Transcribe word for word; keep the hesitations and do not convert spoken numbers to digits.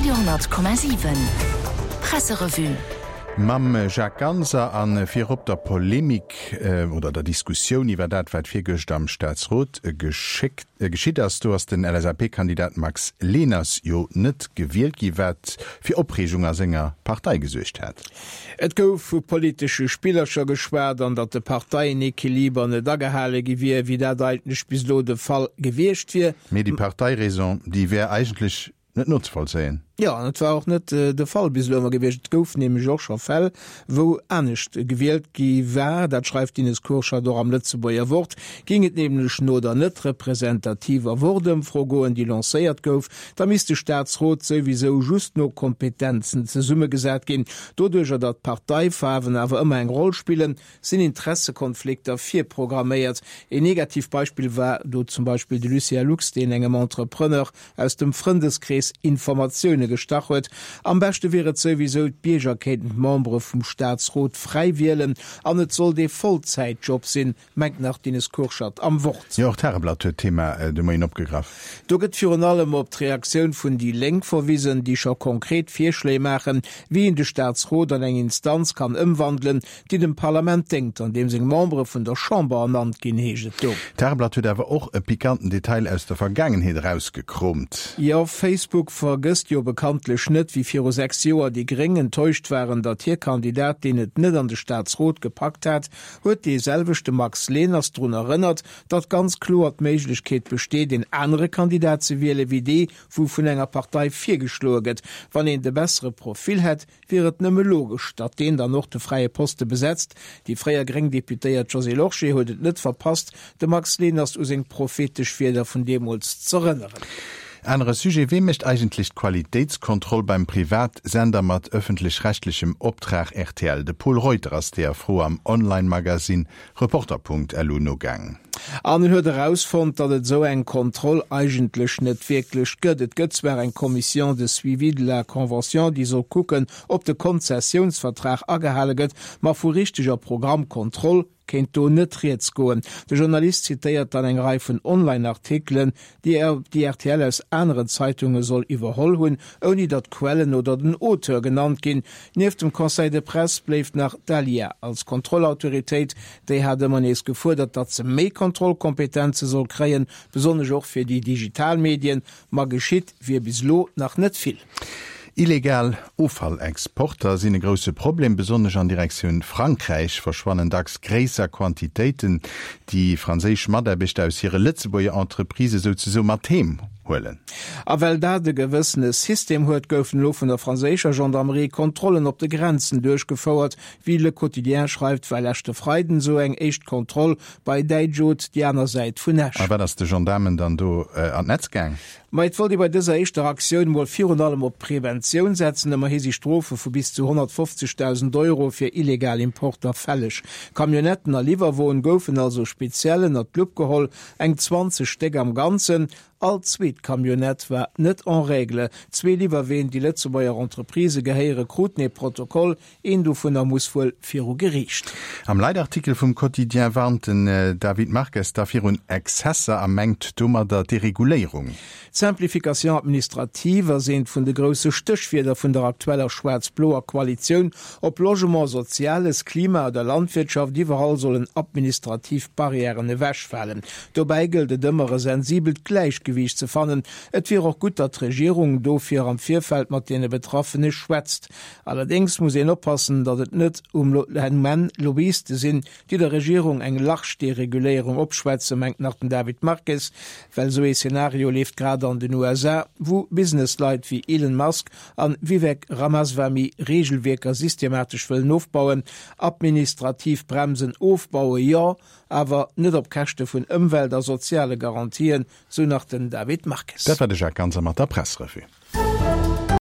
Radio honnert Komma siwen Presserevue. Mam Jacques Ganser a virop der Polemik oder der Diskussioun iwwer dat, wat virgëscht am Staatsrot geschéckt, geschitt ass. Do ass den L S A P-Kandidat Max Leners jo net gewielt gi, wat fir Opreegung a senger Partei gesuergt hat. Et gouf vu politesche Spillercher geschwat an datt de Parteienequiliber net agehale gi wier, wéi dat eigentlech bis elo de Fall gewiescht wier. Mee déi Parteiraison, déi wär eigentlech net nozevollzéien. Jo, an et war och net de Fall bis elo ëmmer gewiescht. Et gouf nämlech och scho Fäll, wou anescht gewielt gi war. Dat schreift d'Ines Kurschat och am Lëtzebuerger Wort. Géing et nämlech no der net representativer Wort-Ëmfro goen, déi lancéiert gouf, da misst de Staatsrot souwisou just no Kompetenzen zesummegesat ginn. Doduercher, datt d'Parteifaarwen awer ëmmer eng Roll spillen, sinn Interessekonflikter virprogramméiert. Een negativt Beispill war do zum Beispill de Lucien Lux, deen engem Entrepreneur aus dem Frëndeskrees Informatioune gestach huet. Am beschte wier et souwisou, d'Bierger kéinten d'Membere vum Staatsrot fräi wielen an et sollt ee Vollzäitjob sinn, mengt nach d'Ines Kurschat am Wort. Jo, och d'Tageblatt huet d'Thema de Moien opgegraff. Do gëtt virun allem op d'Reaktioun vun déi Lénk verwisen, déi scho konkret Virschléi maachen, wéi een de Staatsrot an eng Instanz kann ëmwandelen, déi dem Parlament déngt, an deem seng Membere vun der Chamber ernannt ginn, heescht et do. D'Tageblatt huet awer och e pikanten Detail aus der Vergaangenheet erausgekroomt. Jo, Facebook vergësst jo bekanntlech net, wéi viru sechs Joer déi Gréng enttäuscht waren, datt hir Kandidatin et net an de Staatsrot gepackt hat, huet dee selwechte Max Leners drun erënnert, datt ganz kloer d'Méiglechkeet besteet, een anere Kandidat ze wiele wéi dee wou vun enger Partei virgeschloe gëtt. Wann een de bessere Profil hätt, wier et nëmme logesch, datt deen dann och de fräie Poste besetzt. Déi fréier gréng Deputéiert Josée Lorsché huet et net verpasst, de Max Leners u seng prophetesch Wierder vun deemools z'erënneren. Anere Sujet, Wee mécht eigentlech d'Qualitéitskontroll beim Privatsender mat ëffentlech-rechtlechem Optrag R T L? De Pol Reuter ass deeër Fro am Online-Magazin Reporter Punkt L U nogaangen. An en huet erausfonnt, datt et esou eng Kontroll eigentlech net wierklech gëtt. Et gëtt zwar eng Commission de suivi de la convention, déi soll kucken, ob de Konzessiounsvertrag agehale gëtt, ma vu richteger Programmkontroll kéint do net rieds goen. De Journalist zitéiert dann eng Rei vun Online-Artikelen, déi déi R T L aus aneren Zeitunge soll iwwerholl hunn, ouni datt d'Quellen oder den Auteur genannt ginn. Nieft dem Conseil de Presse bléift nach d'ALIA als Kontrollautoritéit. Déi hat ëmmer nees gefuerdert, datt se méi Kontrollkompetenze soll kréien, besonnesch och fir déi digital Medien, ma geschitt wier bis elo nach net vill. Illegal Offallexporter sinn e grousse Problem, besonnesch an Direktioun Frankräich verschwannen dacks gréisser Quantitéiten, déi franséisch Mataarbechter aus hire Lëtzebuerger Entreprisë souzesoe mat heem huelen. A well dat e gewëssene System huet, goufen elo vun der franséischer Gendarmerie Kontrollen op de Grenzen duerchgefouert. Wéi Le Quotidien schreift, war leschte Freiden esou eng éischt Kontroll bei Däijot, déi aner Säit vun Esch. A wat ass de Gendaarmen dann do an d'Netz gaang? Ma et wollt ee bei dëser éischter Aktioun mol virun allem op Preventioun setzen. Ëmmerhi si Strofe vu bis zu honnertfofzegdausend Euro fir illegal Importer fälleg. Camionnetten a Liwwerwoen goufen also speziell ënnert d'Lupp geholl, eng zwanzeg Stéck am Ganzen. All zweet Camionnette war net en règle. Zwee Liwwerween, déi Lëtzebuerger Entreprisë gehéieren, kruten ee Protokoll, een dovunner muss wuel viru Geriicht. Am Leitartikel vum Quotidien warnt den David Marques da virun Exzesser a mengt domadder d'Dereguléierung. D'Simplification administrative ass eent vun de grousse Stéchwierder vun der aktueller schwaarz-bloer Koalitioun. Ob Logement, Soziales, Klima oder Landwirtschaft, iwwerall sollen administrativ Barrièren ewechfalen. Dobäi gëllt et ëmmer e sensibelt Gläichgewiicht ze fannen. Et wier och gutt, datt d'Regierung dofir am Virfeld mat deene Betraffene schwätzt. Allerdéngs muss een oppassen, datt et net um Enn Lobbyiste sinn, déi der Regierung eng large Dereguléierung opschwätzen, mengt nach den David Marques, well esou ee Szenario leeft grad an den U S A, wou Businessleit wéi Elon Musk an Vivek Ramaswamy Reegelwierker systematesch wëllen ofbauen. Administrativ Bremsen ofbaue jo, awer net op Käschte vun Ëmwelt a soziale Garantien, sou nach den David Marques. Dat war de Jacques Ganser mat der Pressrevue.